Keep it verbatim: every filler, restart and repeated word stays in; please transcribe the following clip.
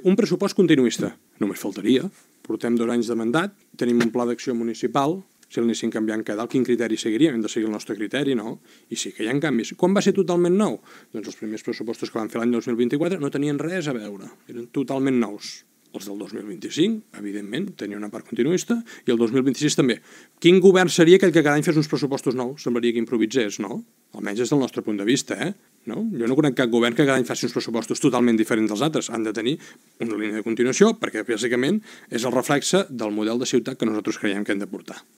Un pressupost continuista, només faltaria. Portem dos anys de mandat, tenim un pla d'acció municipal, si l'anessin canviant cada dalt, quin criteri seguiríem? Hem de seguir el nostre criteri, no? I sí que hi ha canvis. Quan va ser totalment nou? Doncs els primers pressupostos que van fer l'any dos mil vint-i-quatre no tenien res a veure, eren totalment nous. Els del dos mil vint-i-cinc, evidentment, tenien una part continuista, i el dos mil vint-i-sis també. Quin govern seria aquell que cada any fes uns pressupostos nous? Semblaria que improvisés, no? Almenys des del nostre punt de vista, eh? No? Jo no conec cap govern que cada any faci uns pressupostos totalment diferents dels altres. Han de tenir una línia de continuació perquè, bàsicament, és el reflexe del model de ciutat que nosaltres creiem que hem de portar.